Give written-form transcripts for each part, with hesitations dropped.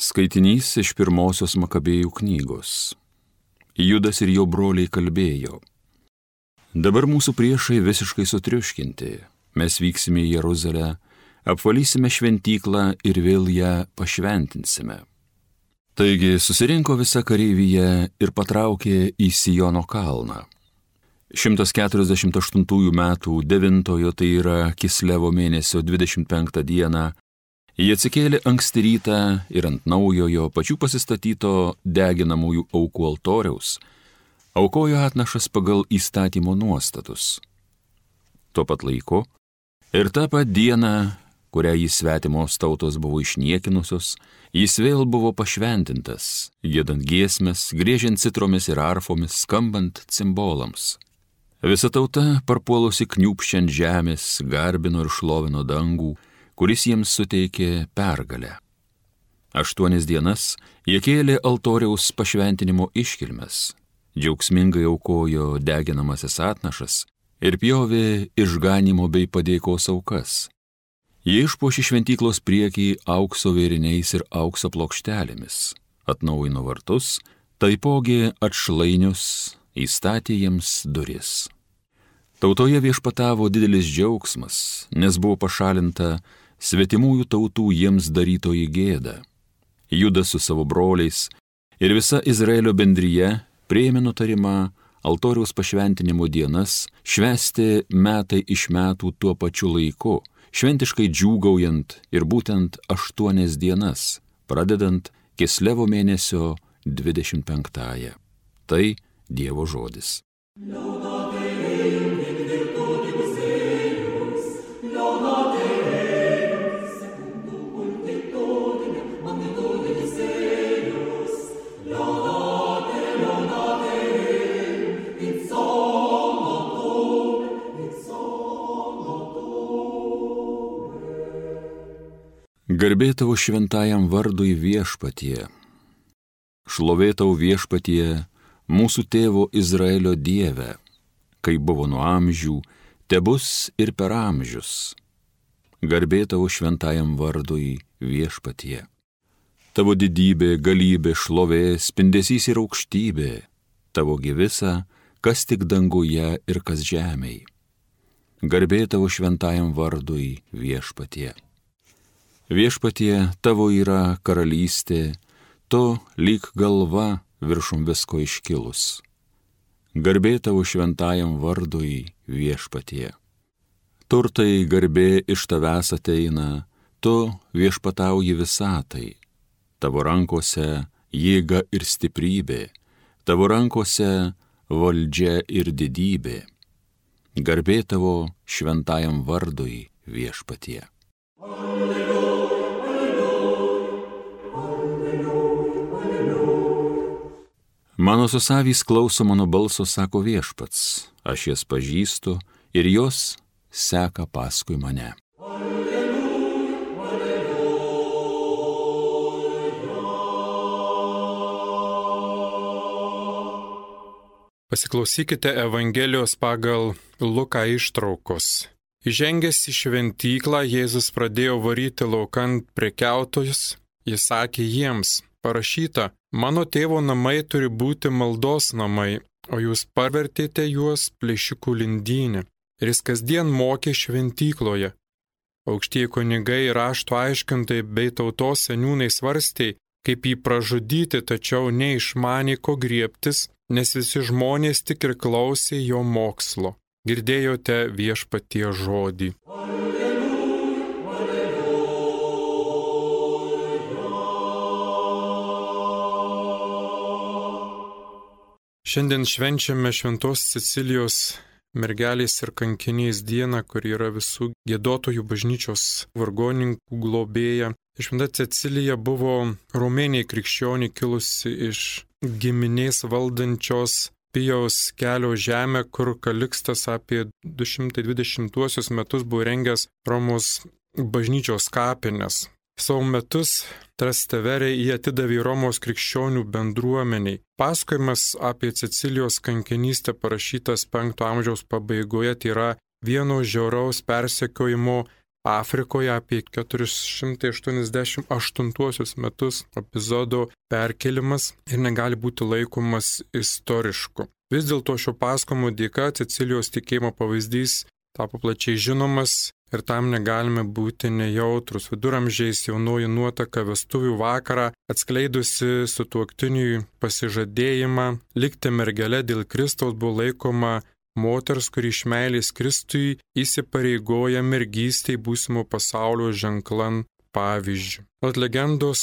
Skaitinys iš pirmosios Makabėjų knygos. Judas ir jo broliai kalbėjo. Dabar mūsų priešai visiškai sutriuškinti. Mes vyksime į Jeruzalę, apvalysime šventyklą ir vėl ją pašventinsime. Taigi susirinko visa kareivyje ir patraukė į Siono kalną. 148 metų 9, tai yra Kislevo mėnesio 25 dieną, jie atsikėlė anksti rytą ir ant naujojo pačių pasistatyto deginamųjų aukų altoriaus aukojo atnašas pagal įstatymo nuostatus. Tuo pat laiku ir tą pat dieną, kurią jį svetimos tautos buvo išniekinusios, jis vėl buvo pašventintas, giedant giesmes, griežiant citromis ir arfomis, skambant cimbolams. Visa tauta, parpuolusi kniūpščiant žemės, garbino ir šlovino dangų, kuris jiems suteikė pergalę. 8 dienas jie kėlė altoriaus pašventinimo iškilmes, džiaugsmingai aukojo deginamasis atnašas ir pjovė išganimo bei padėkos aukas. Jie išpuošė šventyklos priekį aukso vėriniais ir aukso plokštelėmis, atnaujino vartus, taipogi atšlainius, įstatė jiems duris. Tautoje viešpatavo didelis džiaugsmas, nes buvo pašalinta svetimųjų tautų jiems darytoji gėda. Judas su savo broliais ir visa Izraelio bendrija priėmė nutarimą altoriaus pašventinimo dienas švęsti metai iš metų tuo pačiu laiku, šventiškai džiūgaujant ir būtent 8 dienas, pradedant Kislevo mėnesio 25. Tai Dievo žodis. Garbė tavo šventajam vardui Viešpatie. Šlovė tau Viešpatie, mūsų tėvo Izraelio Dieve, kaip buvo nuo amžių, tebus ir per amžius. Garbė tavo šventajam vardui Viešpatie. Tavo didybė, galybė, šlovė, spindesys ir aukštybė, tavo visa, kas tik danguje ir kas žemėj. Garbė tavo šventajam vardui Viešpatie. Viešpatie, tavo yra karalystė, tu lyg galva viršum visko iškilus. Garbė tavo šventajam vardui Viešpatie. Turtai garbė iš tavęs ateina, tu viešpatauji visatai. Tavo rankose jėga ir stiprybė, tavo rankose valdžia ir didybė. Garbė tavo šventajam vardui Viešpatie. Mano susavys klauso mano balso, sako Viešpats, aš jas pažįstu ir jos seka paskui mane. Pasiklausykite Evangelijos pagal Luką ištraukos. Įžengęs į šventyklą, Jėzus pradėjo varyti laukan prekiautojus. Jis sakė jiems, parašyta, mano tėvo namai turi būti maldos namai, o jūs pavertėte juos plėšikų lindynę. Ir jis kasdien mokė šventykloje. Aukštieji kunigai ir rašto aiškintojai bei tautos seniūnai svarstė, kaip jį pražudyti, tačiau neišmanė ko griebtis, nes visi žmonės tik ir klausė jo mokslo. Girdėjote Viešpaties žodį. Šiandien švenčiame Šventos Cecilijos mergelės ir kankinės dieną, kur yra visų giedotojų bažnyčios vargonininkų globėja. Šventa Cecilija buvo romėnė krikščionė kilusi iš giminės valdančios Pijaus kelio žemę, kur Kalikstas apie 220 metus buvo rengęs Romos bažnyčios kapines. Savo metus Trasteverė jį atidavė Romos krikščionių bendruomeniai. Pasakojimas apie Cecilijos kankinystę parašytas 5 amžiaus pabaigoje, tai yra vieno žiauraus persekiojimo Afrikoje apie 488 metus epizodo perkelimas ir negali būti laikomas istorišku. Vis dėlto šio pasakojimo dėka Cecilijos tikėjimo pavyzdys tapo plačiai žinomas ir tam negalime būti nejautrus. Viduramžiais jaunoji nuotaka vestuvių vakarą atskleidusi sutuoktiniui pasižadėjimą likti mergele dėl Kristaus buvo laikoma moters, kuri iš meilės Kristui įsipareigoja mergystei būsimo pasaulio ženklan pavyzdžių. Ant legendos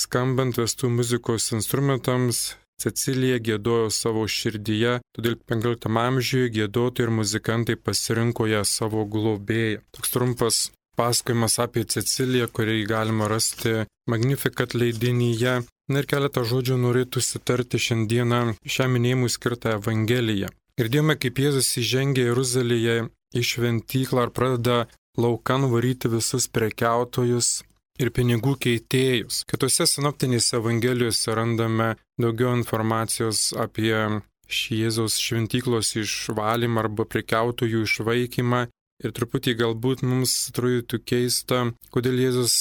skambant vestuvių muzikos instrumentams Cecilija giedojo savo širdyje, todėl 15 amžiuje giedotojai ir muzikantai pasirinko ją savo globėją. Toks trumpas pasakojimas apie Ceciliją, kurį galima rasti Magnificat leidinyje. Na ir keletą žodžių norėtųsi tarti šiandieną šiam minėjimui skirtą Evangeliją. Girdėjome, kaip Jėzus įžengia Jeruzalėje į šventyklą ir pradeda laukan varyti visus prekiautojus ir pinigų keitėjus. Kitose sinoptinėse Evangelijose randame daugiau informacijos apie šį Jėzaus šventyklos išvalymą arba prekiautojų išvaikymą. Ir truputį galbūt mums atrodytų keista, kodėl Jėzus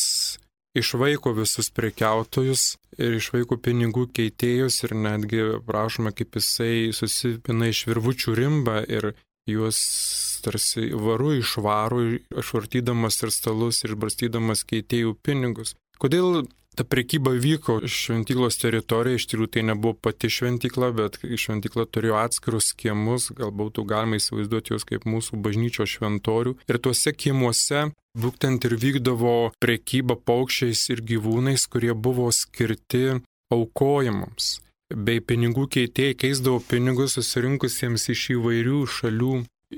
išvaiko visus prekiautojus ir išvaiko pinigų keitėjus ir netgi prašoma, kaip jisai susipina iš virvučių rimbą ir juos tarsi varu išvaro, išvartydamas ir stalus ir barstydamas keitėjų pinigus. Kodėl ta prekyba vyko šventyklos teritorijoje? Iš tikrųjų tai nebuvo pati šventykla, bet šventykla turėjo atskirus kiemus, galbūt galima įsivaizduoti juos kaip mūsų bažnyčios šventorių. Ir tuose kiemuose būtent ir vykdavo prekyba paukščiais ir gyvūnais, kurie buvo skirti aukojimams. Bei pinigų keitėjai keisdavo pinigus susirinkusiems iš įvairių šalių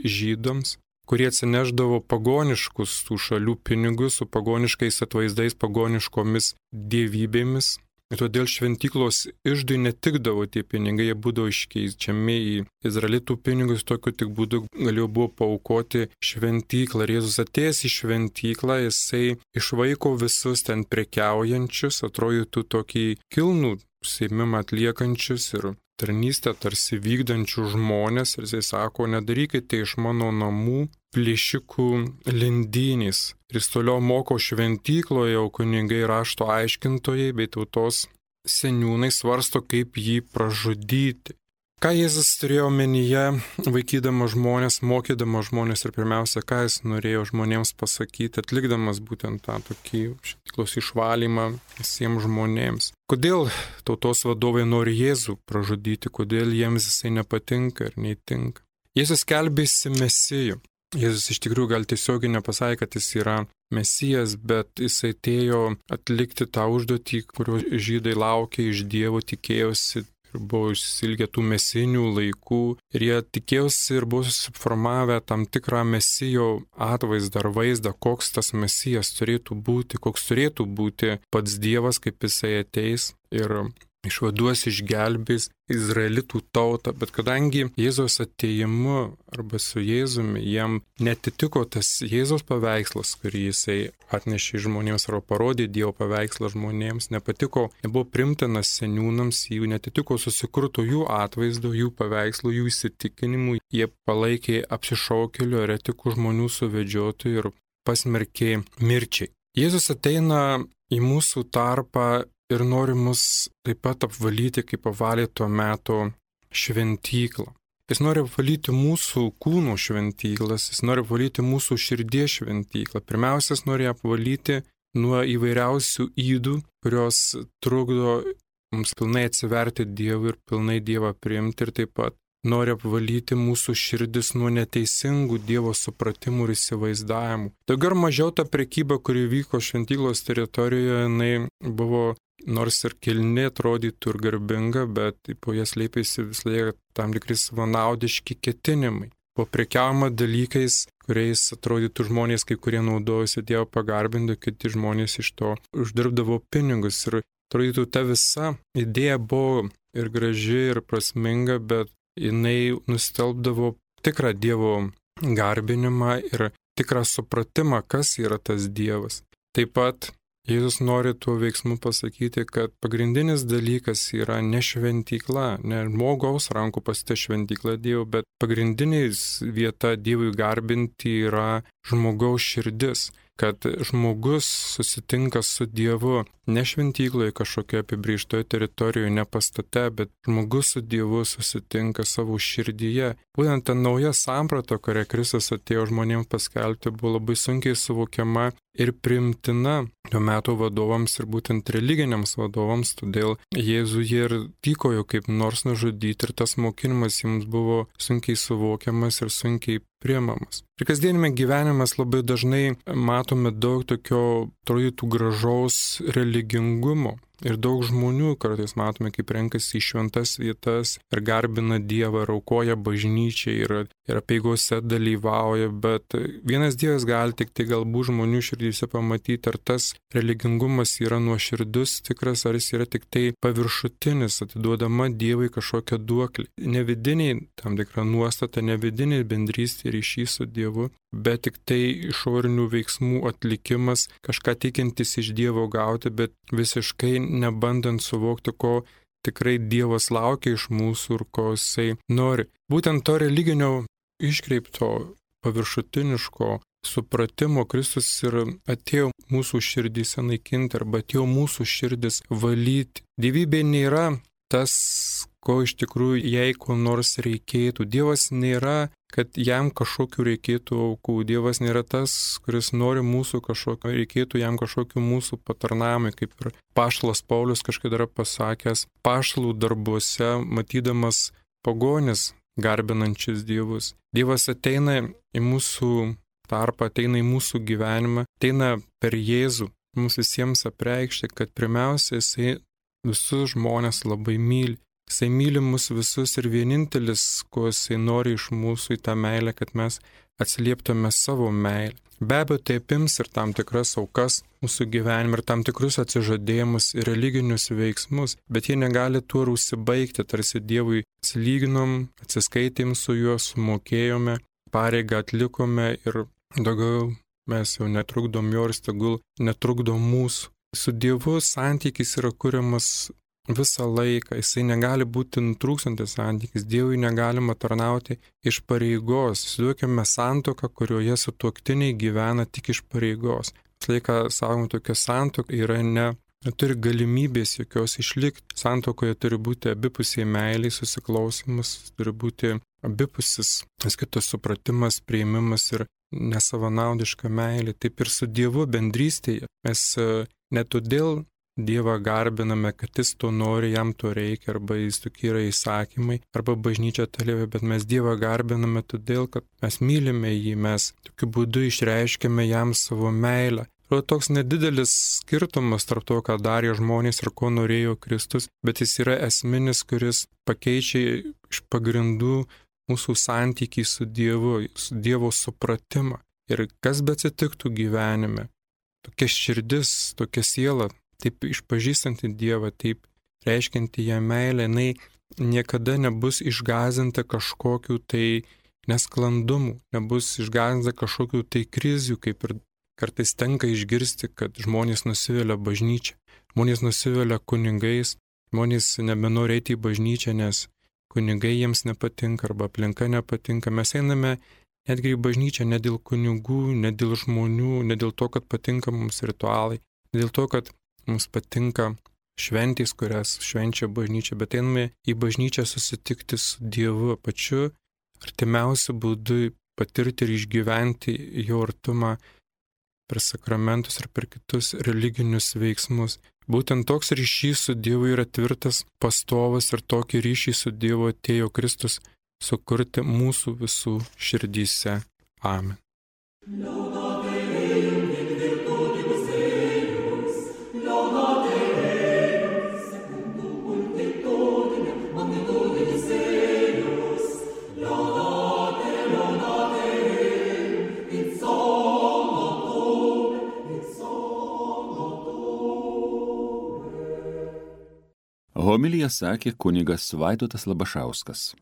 žydams, kurie atsineždavo pagoniškus tų šalių pinigus su pagoniškais atvaizdais, pagoniškomis dievybėmis. Ir todėl šventyklos iždui netikdavo tie pinigai, jie būdavo iškeičiami į izraelitų pinigus, tokiu tik būdu galėjo buvo paaukoti šventyklą. Ir Jėzus atėjęs į šventyklą, jisai išvaiko visus ten prekiaujančius, atrodytų tokį kilnų užsiėmimą atliekančius ir tarnystę tarsi vykdančių žmonės. Ir jisai sako, nedarykite iš mano namų plėšikų lindynės. Ir jis toliau moko šventykloje, o kunigai rašto aiškintojai bei tautos seniūnai svarsto, kaip jį pražudyti. Ką Jėzus turėjo omenyje, vaikydamas žmonės, mokydamas žmonės ir pirmiausia, ką jis norėjo žmonėms pasakyti, atlikdamas būtent tą tokį šventyklos išvalymą visiems žmonėms. Kodėl tautos vadovai nori Jėzų pražudyti, kodėl jiems jisai nepatinka ir neįtinka. Jėzus skelbėsi Mesiju. Jėzus iš tikrųjų gal tiesiogiai nepasakė, kad jis yra Mesijas, bet jis atėjo atlikti tą užduotį, kurio žydai laukė iš Dievo, tikėjosi ir buvo išsilgę tų mesinių laikų. Ir jie tikėjosi ir buvo susiformavę tam tikrą Mesijo atvaizdą ar vaizdą, koks tas Mesijas turėtų būti, koks turėtų būti pats Dievas, kaip jisai ateis ir išvaduos, išgelbės izraelitų tautą, bet kadangi Jėzaus atėjimu arba su Jėzumi jam netitiko tas Jėzaus paveikslas, kurį jisai atnešė žmonėms arba parodė Dievo paveikslą žmonėms, nepatiko, nebuvo primtinas seniūnams, jų netitiko susikurto jų atvaizdo, jų paveikslų, jų įsitikinimų, jie palaikė apsišaukėlių, eretikų žmonių suvedžiotojų ir pasmerkė mirčiai. Jėzus ateina į mūsų tarpą ir nori mus taip pat apvalyti, kaip apvalė tuo metu šventyklą. Jis nori apvalyti mūsų kūno šventyklas, jis nori apvalyti mūsų širdies šventyklą. Pirmiausia, jis nori apvalyti nuo įvairiausių ydų, kurios trukdo mums pilnai atsiverti Dievui ir pilnai Dievą priimti, ir taip pat nori apvalyti mūsų širdis nuo neteisingų Dievo supratimų ir įsivaizdavimų. Daugiau ar mažiau ta prekyba, kuri vyko šventyklos teritorijoje, jinai buvo nors ir kilni, atrodytų ir garbinga, bet po jas slėpėsi vis laik tam tikri savanaudiški ketinimai. Buvo prekiaujama dalykais, kuriais atrodytų žmonės, kai kurie naudojosi Dievo pagarbinti, kiti žmonės iš to uždirbdavo pinigus. Ir atrodytų ta visa idėja buvo ir graži, ir prasminga, bet jinai nustelbdavo tikrą Dievo garbinimą ir tikrą supratimą, kas yra tas Dievas. Taip pat Jėzus nori tuo veiksmu pasakyti, kad pagrindinis dalykas yra ne šventykla, ne žmogaus rankų pasita šventykla Dievo, bet pagrindinis vieta Dievui garbinti yra žmogaus širdis. kad žmogus susitinka su Dievu ne šventykloje kažkokioje apibrėžtoje teritorijoje, ne pastate, bet žmogus su Dievu susitinka savo širdyje. Būtent ta nauja samprata, kurią Kristus atėjo žmonėms paskelbti, buvo labai sunkiai suvokiama ir priimtina tuo metu vadovams ir būtent religiniams vadovams, todėl Jėzų jie ir tykojo kaip nors nužudyti ir tas mokinimas jiems buvo sunkiai suvokiamas ir sunkiai priimamas. Ir kasdienime gyvenime labai dažnai matome daug tokio atrodytų gražaus religingumo. Ir daug žmonių kartais matome, kaip renkasi į šventas vietas ir garbina Dievą, ir aukoja bažnyčiai ir apeigose dalyvauja, bet vienas Dievas gali tik tai galbūt žmonių širdyse pamatyti, ar tas religingumas yra nuoširdus, tikras, ar jis yra tik tai paviršutinis, atiduodama Dievui kažkokią duoklį. Ne vidiniai tam tikra nuostata, ne vidiniai bendrystė ryšys su Dievu, bet tik tai išorinių veiksmų atlikimas, kažką tikintis iš Dievo gauti, bet visiškai nebandant suvokti, ko tikrai Dievas laukia iš mūsų ir ko Jisai nori. Būtent to religinio iškreipto, paviršutiniško supratimo Kristus ir atėjo mūsų širdyse naikinti arba atėjo mūsų širdis valyti. Dievybė nėra tas, ko iš tikrųjų jai ko nors reikėtų. Dievas nėra, kad jam kažkokiu reikėtų aukų. Dievas nėra tas, kuris nori mūsų kažkokio, reikėtų jam kažkokiu mūsų patarnavimui, kaip ir apaštalas Paulius kažkada yra pasakęs, apaštalų darbuose, matydamas pagonis garbinančius dievus. Dievas ateina į mūsų tarpą, ateina į mūsų gyvenimą, ateina per Jėzų mums visiems apreikšti, kad pirmiausia Jisai visus žmonės labai myli. Jisai myli mus visus ir vienintelis, ko Jisai nori iš mūsų į tą meilę, kad mes atsilieptume savo meilę. Be abejo, tai apims ir tam tikras aukas mūsų gyvenime, ir tam tikrus atsižadėjimus ir religinius veiksmus, bet jie negali tuo ir užsibaigti, tarsi Dievui atsilyginom, atsiskaitėm su juo, sumokėjome, pareigą atlikome ir daugiau mes jau netrukdom jo ir tegul netrukdom mūsų. Su Dievu santykis yra kuriamas visą laiką, jisai negali būti nutrūkstantis santykis, Dievui negalima tarnauti iš pareigos. Įsivaizduokime santuoką, kurioje sutuoktiniai gyvena tik iš pareigos. Visą laiką sakom, tokia santuoka yra neturi galimybės jokios išlikti. Santuokoje turi būti abipusiai meiliai, susiklausimas, turi būti abipusis kitos supratimas, priėmimas ir nesavanaudiška meilė. Taip ir su Dievu bendrystėje. Mes ne todėl Dievą garbiname, kad Jis to nori, jam to reikia, arba Jis tokie yra įsakymai, arba bažnyčia talėvė, bet mes Dievą garbiname todėl, kad mes mylime jį, mes tokiu būdu išreiškiame jam savo meilę. Ir toks nedidelis skirtumas tarp to, ką darė žmonės ir ko norėjo Kristus, bet jis yra esminis, kuris pakeičia iš pagrindų mūsų santykį su Dievu, su Dievo supratimą. Ir kas beatsitiktų gyvenime, tokia širdis, tokia siela, taip išpažįstanti Dievą, taip reiškianti ją meilę, jinai niekada nebus išgąsdinta kažkokiu tai nesklandumų, nebus išgąsdinta kažkokiu tai krizių, kaip ir kartais tenka išgirsti, kad žmonės nusivilia bažnyčią, žmonės nusivilia kunigais, žmonės nebenori eiti į bažnyčią, nes kunigai jiems nepatinka arba aplinka nepatinka. Mes einame netgi į bažnyčią ne dėl kunigų, ne dėl žmonių, ne dėl to, kad patinka mums ritualai, ne dėl to, kad mums patinka šventės, kurias švenčia bažnyčia, bet einame į bažnyčią susitikti su Dievu pačiu artimiausiu būdu, patirti ir išgyventi jo artumą per sakramentus ar per kitus religinius veiksmus. Būtent toks ryšys su Dievu yra tvirtas, pastovas ir tokį ryšį su Dievu atėjo Kristus sukurti mūsų visų širdyse. Amen. Homiliją sakė kunigas Vaidotas Labašauskas.